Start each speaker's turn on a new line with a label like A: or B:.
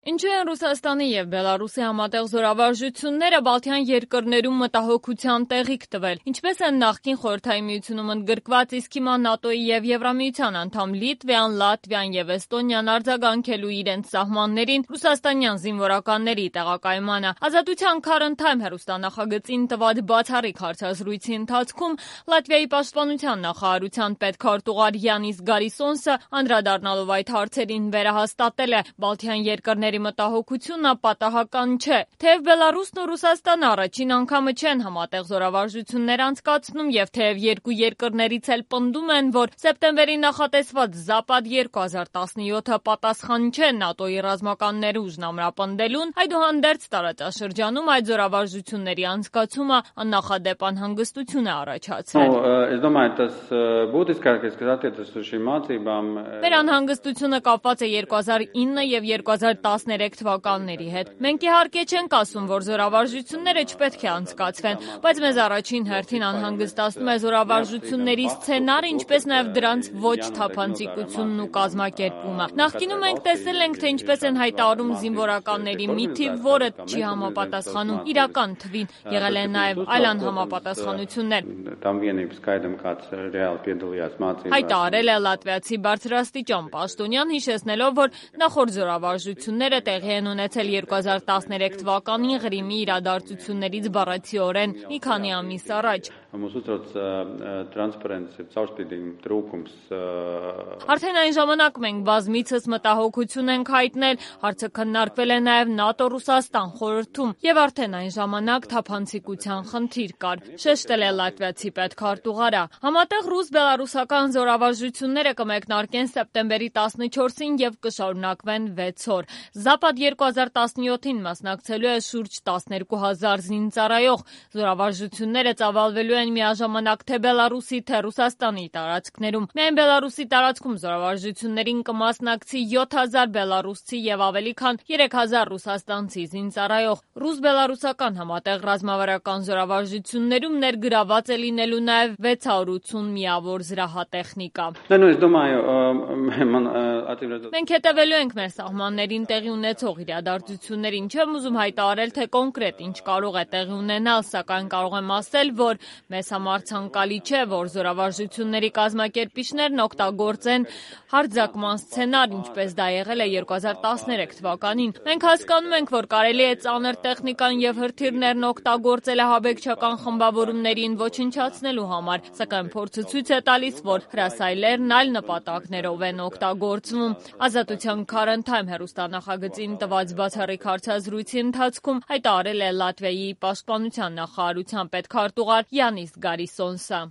A: Ինչու են Ռուսաստանի և Բելարուսի համատեղ զորավարժությունները Բալթյան երկրներում մտահոգության տեղիք տվել, ինչպես են նախկին Խորհրդային Միությունում ընդգրկված, իսկ հիմա ՆԱՏՕ-ի և Եվրամիության անդամ Լիտվան, Լատվիան և Էստոնիան արձագանքելու իրենց սահմաններին ռուսաստանյան զինվորականների տեղակայմանը։ Ազատության Քարընթայմ հեռուստանախագծին տված բացառիկ հարցազրույցի ընթացքում Լատվիայի պաշտպանության նախարարության պետքարտուղար Յանիս Գարիսոնսը անդրադառնալով այդ հարցերին վերահաստատել է Բալթյան երկրների մտահոգությունը պատահական չէ, թեև Բելարուսն ու Ռուսաստանը առաջին անգամը չեն համատեղ զորավարժություններ անցկացնում եւ թեև երկու երկրներից էլ պնդում են, որ սեպտեմբերի նախատեսված Զապադ 2017-ը պատասխան չէ ՆԱՏՕ-ի ռազմական ներուժն ամրապնդելուն, այդուհանդերձ տարածաշրջանում այդ զորավարժությունների անցկացումը աննախադեպ անհանգստություն է առաջացրել։ Մեր անհանգստությունը կապված է 2009 եւ 2013 թվականների հետ։ Մենք իհարկե չենք ասում, որ զորավարժությունները չպետք է անցկացվեն, բայց մեզ առաջին հերթին անհանգստացնում է զորավարժությունների սցենարը, ինչպես նաև դրանց ոչ թափանցիկությունն ու կազմակերպումը։ Նախկինում մենք տեսել ենք, թե ինչպես են հայտարարում զինվորականների մի թիվ, որը չի համապատասխանում իրական թվին, եղել են նաև այլ անհամապատասխանություններ։ Հայտարարել է լատվիացի բարձրաստիճան պաշտոնյան, հիշեցնելով, որ նախորդ զորավարժությունները տեղի են ունեցել 2013 թվականին Ղրիմի իրադարձություններից բառացիորեն մի քանի ամիս առաջ։ Արդեն այն ժամանակ մենք բազմիցս մտահոգություն ենք հայտնել, հարցը քննարկվել է նաև ՆԱՏՕ-Ռուսաստան խորհրդում, եւ արդեն այն ժամանակ թափանցիկության խնդիր կար, շեշտել է լատվիացի պետքարտուղարը։ Համատեղ ռուս-բելարուսական զորավարժությունները կմեկնարկեն սեպտեմբերի 14-ին եւ կշարունակվեն 6 օր։ Զապադ 2017-ին մասնակցելու է շուրջ 12,000 զինծառայող։ Զորավարժությունները ծավալվելու են միաժամանակ թե Բելարուսի, թե Ռուսաստանի տարածքներում։ Միայն Բելարուսի տարածքում զորավարժություններին կմասնակցի 7,000 բելարուսցի եւ ավելի քան 3,000 ռուսաստանցի զինծառայող։ Ռուս-բելարուսական համատեղ ռազմավարական զորավարժություններում ներգրաված է լինելու նաև 680 միավոր զրահատեխնիկա։ Մենք հետևելու ենք մեր սահմաններին տեղի ունեցող իրադարձություններին, չեմ ուզում հայտարարել, թե կոնկրետ ինչ կարող է տեղի ունենալ, սակայն կարող եմ ասել, որ մեզ համար ցանկալի չէ, որ զորավարժությունների կազմակերպիչներն օգտագործեն հարձակման սցենար, ինչպես դա եղել է 2013 թվականին։ Մենք հասկանում ենք, որ կարելի է ծանր տեխնիկան եւ հրթիռներն օգտագործել ահաբեկչական խմբավորումներին ոչնչացնելու համար, սակայն փորձը ցույց է տալիս, որ հրասայլերն այլ նպատակներով են օգտագործվում։ Ազատության Քարընթայմ հեռուստանախագծին տված բացառիկ հարցազրույցի ընթացքում հայտարարել է Լատվիայի պաշտպանության նախարարության պետքարտուղար Յանիս Գարիսոնսը։